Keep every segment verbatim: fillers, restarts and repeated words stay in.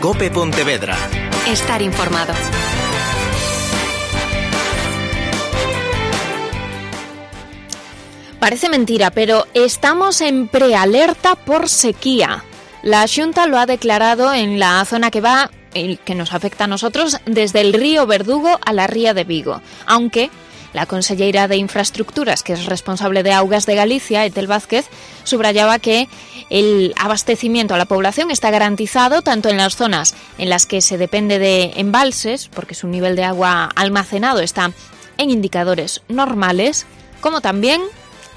COPE Pontevedra. Estar informado. Parece mentira, pero estamos en prealerta por sequía. La Xunta lo ha declarado en la zona que va, que nos afecta a nosotros, desde el río Verdugo a la ría de Vigo, aunque la conselleira de Infraestructuras, que es responsable de Augas de Galicia, Etel Vázquez, subrayaba que el abastecimiento a la población está garantizado tanto en las zonas en las que se depende de embalses, porque su nivel de agua almacenado está en indicadores normales, como también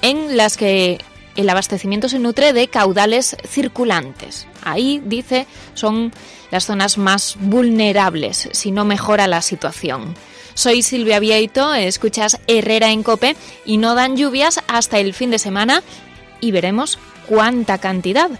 en las que el abastecimiento se nutre de caudales circulantes. Ahí, dice, son las zonas más vulnerables si no mejora la situación. Soy Silvia Vieito, escuchas Herrera en COPE y no dan lluvias hasta el fin de semana y veremos cuánta cantidad.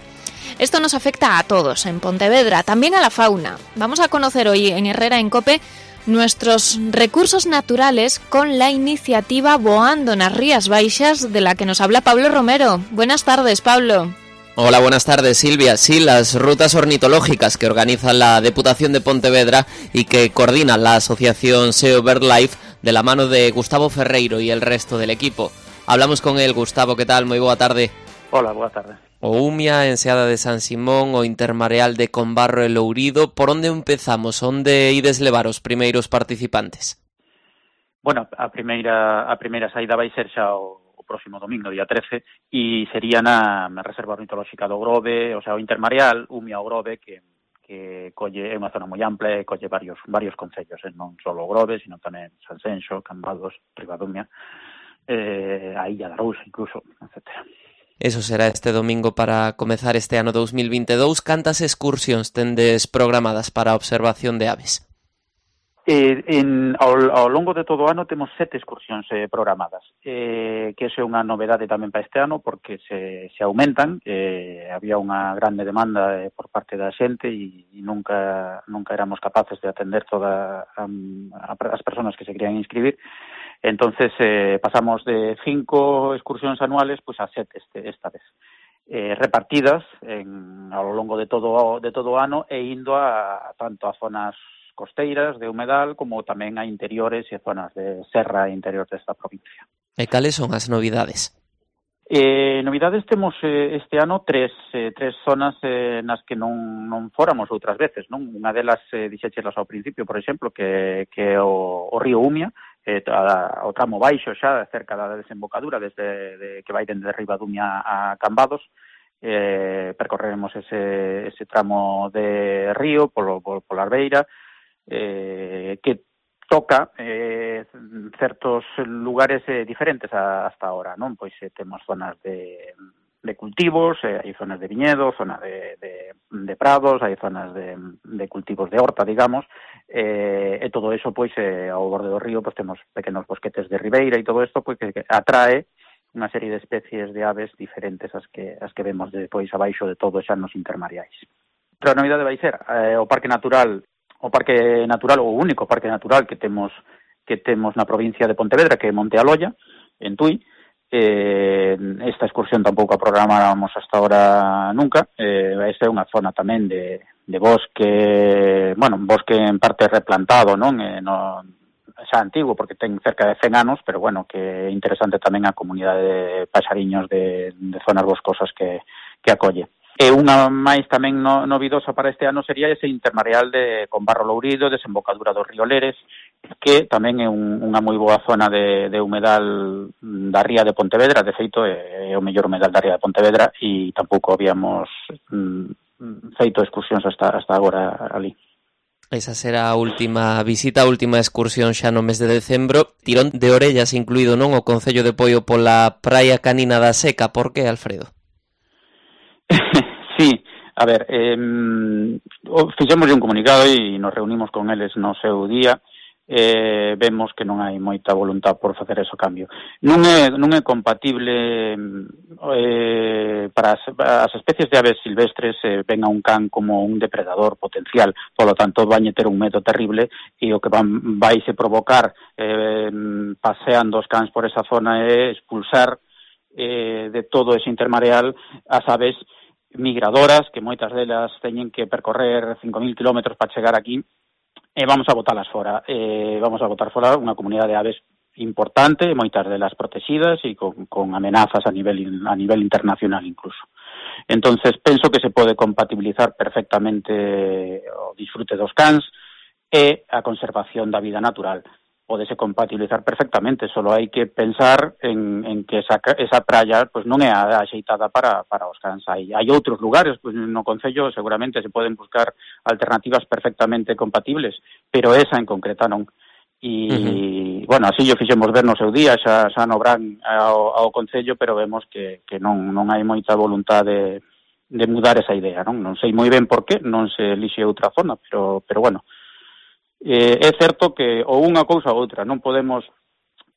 Esto nos afecta a todos en Pontevedra, también a la fauna. Vamos a conocer hoy en Herrera en COPE nuestros recursos naturales con la iniciativa Voando nas Rías Baixas, de la que nos habla Pablo Romero. Buenas tardes, Pablo. Hola, buenas tardes, Silvia. Sí, las rutas ornitológicas que organiza la Deputación de Pontevedra y que coordina la asociación SEO BirdLife de la mano de Gustavo Ferreiro y el resto del equipo. Hablamos con él. Gustavo, ¿qué tal? Moi boa tarde. Hola, boa tarde. O Umia, Enseada de San Simón, o Intermareal de Combarro e Lourido. Por onde empezamos? Onde ides levar os primeiros participantes? Bueno, a primeira a primeira saída vai ser xa o, o próximo domingo, día trece, e sería na, na Reserva Ornitolóxica do Grove, o sea, o Intermareal, Umia o Grove, que que colle, é unha zona moi ampla e colle varios varios concellos, eh? Non só o Grove, sino tamén Sanxenxo, Cambados, Ribadumia, eh, a Illa da Arousa, incluso, etcétera. Eso será este domingo para comezar este ano dos mil vinte e dous. Cantas excursións tendes programadas para a observación de aves? Eh, en, ao, ao longo de todo o ano temos sete excursións eh, programadas, eh, que é unha novedade tamén para este ano porque se, se aumentan. Eh, había unha grande demanda eh, por parte da xente e, e nunca, nunca éramos capaces de atender todas um, as persoas que se querían inscribir. Entonces eh, pasamos de cinco excursións anuales pues a sete este, esta vez, eh, repartidas en, ao longo de todo de todo o ano e indo a, a tanto a zonas costeiras de humedal como tamén a interiores e zonas de serra interior desta provincia. E cales son as novidades? Eh, novidades temos eh, este ano tres eh, tres zonas eh, nas que non, non fóramos outras veces, non? Unha delas eh, dixéchelas ao principio, por exemplo, que, que é o, o río Umia, eh, a, o tramo baixo xa, cerca da desembocadura, desde de, que vai dende Ribadumia a Cambados. Eh, percorreremos ese, ese tramo de río polo, polo, pola Arbeira, eh, que toca eh, certos lugares eh, diferentes a, hasta ahora, non? Pois eh, temos zonas de, de cultivos, eh, hai zonas de viñedo, zonas de, de, de prados, hai zonas de, de cultivos de horta, digamos, eh, e todo eso, pois, eh, ao borde do río, pois temos pequenos bosquetes de ribeira e todo isto, pois, que, que atrae unha serie de especies de aves diferentes as que as que vemos depois abaixo de todo xa nos intermareais. Outra novidade vai ser eh, o Parque Natural o Parque Natural, o único Parque Natural que temos que temos na provincia de Pontevedra, que é Monte Aloia, en Tui. Eh, esta excursión tampouco a programáramos hasta ahora nunca. Eh, esta é unha zona tamén de, de bosque, bueno, bosque en parte replantado, non? Eh, no, xa antigo, porque ten cerca de cen anos, pero bueno, que é interesante tamén a comunidade de paxariños de, de zonas boscosas que, que acolle. E unha máis tamén no, novidosa para este ano sería ese intermareal de Combarro Lourido, desembocadura do río Leres, que tamén é un, unha moi boa zona de, de humedal da ría de Pontevedra. De feito, é, é o mellor humedal da ría de Pontevedra e tampouco habíamos mm, feito excursións hasta, hasta agora ali. Esa será a última visita, a última excursión xa no mes de decembro. Tirón de orellas incluído, non? O Concello de Poio pola praia canina da Seca. Por que, Alfredo? Sí, a ver, eh, fixemos un comunicado e nos reunimos con eles no seu día. Eh, vemos que non hai moita voluntad por facer ese cambio. Non é, non é compatible eh, para as, as especies de aves silvestres eh, ven a un can como un depredador potencial, polo tanto vai ter un medo terrible e o que van, vai se provocar eh, paseando os cans por esa zona é expulsar eh, de todo ese intermareal as aves migradoras, que moitas delas teñen que percorrer cinco mil kilómetros para chegar aquí, e vamos a botalas fora. Eh, vamos a botar fora unha comunidade de aves importante, moitas delas protegidas e con, con amenazas a nivel a nivel internacional incluso. Entonces penso que se pode compatibilizar perfectamente o disfrute dos cans e a conservación da vida natural. Pódese compatibilizar perfectamente, solo hai que pensar en, en que esa, esa praia pues, non é axeitada para, para os cans. Hai, hai outros lugares, pues, no Concello seguramente se poden buscar alternativas perfectamente compatibles, pero esa en concreta non. E, uh-huh. bueno, así yo fixemos ver no seu día, xa, xa no Bran ao, ao Concello, pero vemos que, que non, non hai moita voluntade de, de mudar esa idea, non? Non sei moi ben por qué, non se elixe outra zona, pero, pero bueno, Eh, é certo que ou unha cousa ou outra, non podemos,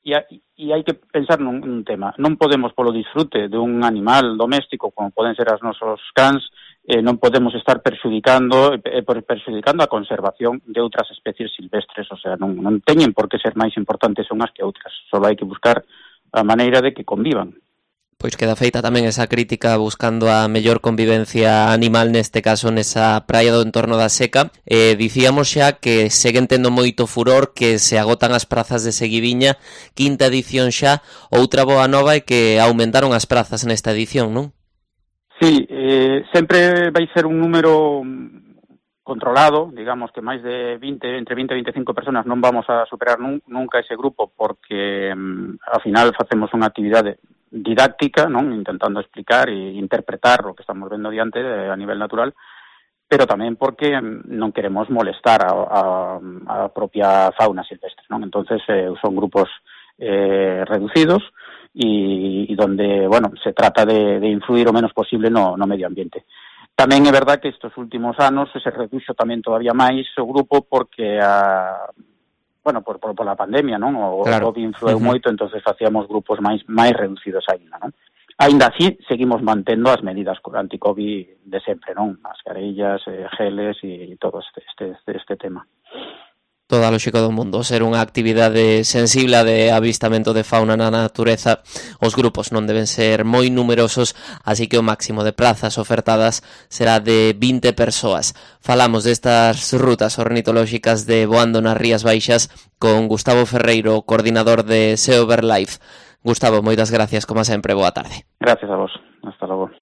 e, e hai que pensar nun, nun tema, non podemos polo disfrute de un animal doméstico como poden ser as nosos cans, eh, non podemos estar perxudicando eh, perxudicando a conservación de outras especies silvestres, o sea, non, non teñen por que ser máis importantes unhas que outras, só hai que buscar a maneira de que convivan. Pois queda feita tamén esa crítica buscando a mellor convivencia animal, neste caso nesa praia do entorno da Seca. Eh, dicíamos xa que seguen tendo moito furor, que se agotan as prazas de seguidiña, quinta edición xa. Outra boa nova é que aumentaron as prazas nesta edición, non? Sí, eh, sempre vai ser un número controlado, digamos que máis de vinte, entre vinte e veinticinco personas non vamos a superar nun, nunca ese grupo, porque mm, ao final facemos unha actividade didáctica, non, intentando explicar e interpretar o que estamos vendo diante eh, a nivel natural, pero tamén porque non queremos molestar a, a, a propia fauna silvestre, non? Entonces eh, son grupos eh, reducidos e, e donde, bueno, se trata de, de influir o menos posible no, no medio ambiente. Tamén é verdad que estes últimos anos se reduxo tamén todavía máis o grupo porque a bueno, por, por, por la pandemia, non? O, claro. O COVID influeu uh-huh. moito, entonces facíamos grupos máis máis reducidos aínda, non? Aínda así, seguimos mantendo as medidas anti-COVID de sempre, non? Mascarillas, eh, geles e todo este, este, este, este tema. Toda a lógica do mundo, ser unha actividade sensible de avistamento de fauna na natureza, os grupos non deben ser moi numerosos, así que o máximo de plazas ofertadas será de vinte persoas. Falamos destas rutas ornitolóxicas de Voando nas Rías Baixas con Gustavo Ferreiro, coordinador de SEO BirdLife. Gustavo, moitas gracias, como sempre, boa tarde. Gracias a vos, hasta logo.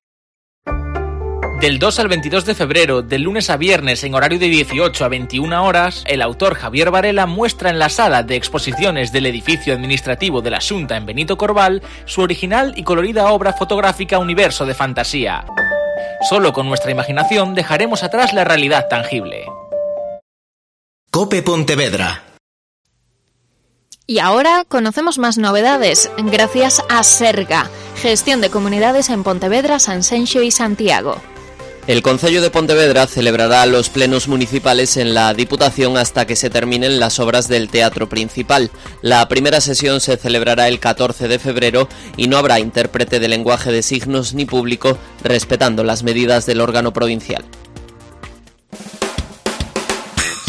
Del dos al veintidós de febrero, del lunes a viernes en horario de dieciocho a veintiuna horas, el autor Javier Varela muestra en la sala de exposiciones del edificio administrativo de la Xunta en Benito Corval su original y colorida obra fotográfica Universo de Fantasía. Solo con nuestra imaginación dejaremos atrás la realidad tangible. COPE Pontevedra. Y ahora conocemos más novedades gracias a Serga, gestión de comunidades en Pontevedra, Sanxenxo y Santiago. El Concello de Pontevedra celebrará los plenos municipales en la Diputación hasta que se terminen las obras del teatro principal. La primera sesión se celebrará el catorce de febrero y no habrá intérprete de lenguaje de signos ni público, respetando las medidas del órgano provincial.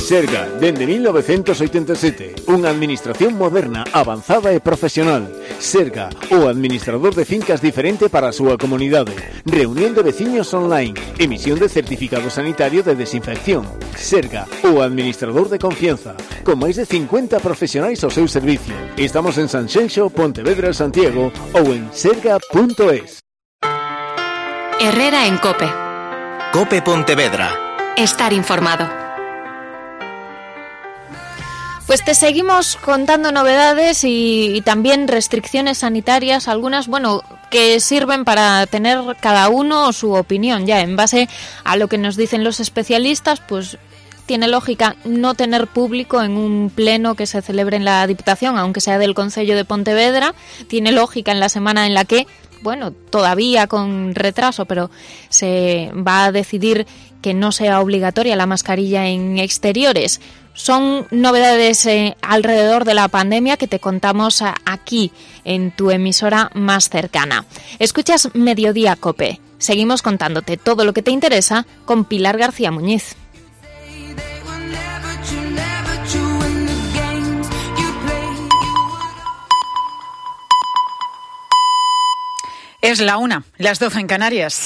Serga, dende mil novecentos oitenta e sete, unha administración moderna, avanzada e profesional. Serga, o administrador de fincas diferente para a súa comunidade. Reunión de veciños online, emisión de certificado sanitario de desinfección. Serga, o administrador de confianza, con máis de cincuenta profesionais ao seu servicio. Estamos en Sanxenxo, Pontevedra, Santiago ou en serga punto es. Herrera en COPE. COPE Pontevedra. Estar informado. Pues te seguimos contando novedades y, y también restricciones sanitarias, algunas, bueno, que sirven para tener cada uno su opinión ya en base a lo que nos dicen los especialistas. Pues tiene lógica no tener público en un pleno que se celebre en la Diputación, aunque sea del Concello de Pontevedra. Tiene lógica en la semana en la que, bueno, todavía con retraso, pero se va a decidir que no sea obligatoria la mascarilla en exteriores. Son novedades eh, alrededor de la pandemia que te contamos aquí, en tu emisora más cercana. Escuchas Mediodía COPE. Seguimos contándote todo lo que te interesa con Pilar García Muñiz. Es la una, las doce en Canarias.